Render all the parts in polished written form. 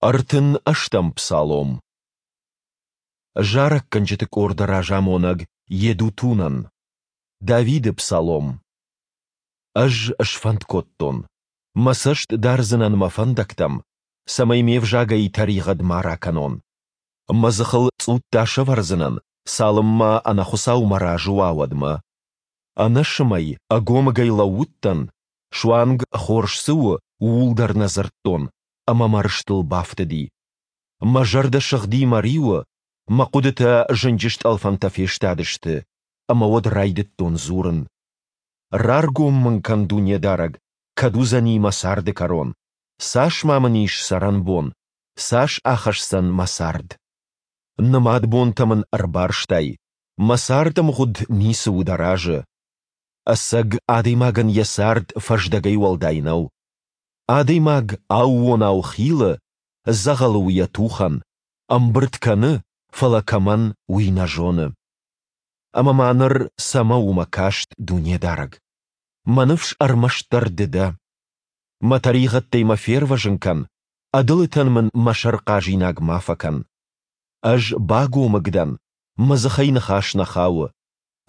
38-ӕм псалом. Зарӕггӕнджыты къорды разамонӕг Йедутунӕн. Давиды псалом. Ӕз сфӕнд кодтон, мӕ цӕст дардзынӕн мӕ фӕндӕгтӕм, цӕмӕй ме взагӕй тӕригъӕд ма ракӕнон. Мӕ дзыхыл цъутта сӕвӕрдзынӕн, цалынмӕ ӕнӕхуыцау мӕ разы уа, уӕдмӕ. Ӕнӕсымӕй, ӕгомыгӕй лӕууыдтӕн, суанг, хорз цы у, ууыл дӕр нӕ дзырдтон, ӕмӕ мӕ рыстыл бафтыди. Мӕ зӕрдӕ сыгъди мӕ риуы, мӕ хъуыдытӕ зынджы стъӕлфӕнтӕ фестадысты, ӕмӕ уӕд райдыдтон дзурын. Раргом мын кӕн, Дунедарӕг, кӕд уыдзӕни мӕ царды кӕрон, цас ма мын ис цӕрӕнбон, цас ахӕсдзӕн мӕ цард? Нымад бонтӕ мын ӕрбарстай, мӕ цардӕмгъуыд ницы у дӕ разы. Ӕцӕг адӕймагӕн йӕ цард фӕздӕгӕй уӕлдай нӕу. Адӕймаг аууонау хилы, дзӕгъӕлы у йӕ тухӕн, ӕмбырд кӕны, фӕлӕ кӕмӕн, уый нӕ зоны. Ӕмӕ ма ныр цӕмӕ у мӕ каст, Дунедарӕг? Мӕ ныфс ӕрмӕстдӕр Ды дӕ. Мӕ тӕригъӕдтӕй мӕ фервӕзын кӕн, ӕдылытӕн мын мӕ сӕр хъазинаг ма фӕкӕн. Ӕз багомыг дӕн, мӕ дзыхӕй ныхас нӕ хауы.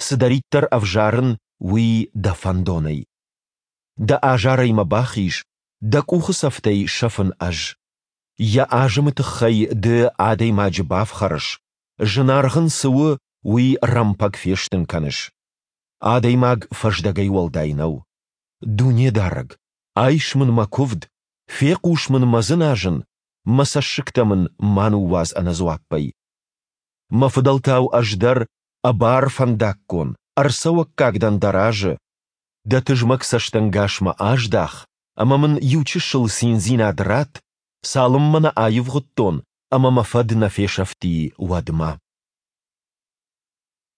Цыдӕриддӕр ӕвзарын, уый дӕ фӕндонӕй. Дӕ азарӕй мӕ бахиз, дӕ къухы цӕфтӕй сӕфын ӕз. Йӕ азымы тыххӕй ды адӕймаджы бафхӕрыс, зынаргъ ын цы у, уый рӕмпӕг фестын кӕныс. Адӕймаг фӕздӕгӕй уӕлдай нӕу. Дунедарӕг, айс мын мӕ куывд, фехъус мын мӕ дзыназын, мӕ цӕссыгтӕ мын ма ныууадз ӕнӕдзуаппӕй. Мӕ фыдӕлтау ӕз дӕр ӕбар фӕндаггон, ӕрцӕуӕггаг дӕн дӕ разы. Дӕ тызмӕг цӕстӕнгас мӕ аздах ӕмӕ мын иучысыл циндзинад ратт, цалынмӕ нӕ аивгъуыдтон ӕмӕ мӕ фӕд нӕ фесӕфти, уӕдмӕ.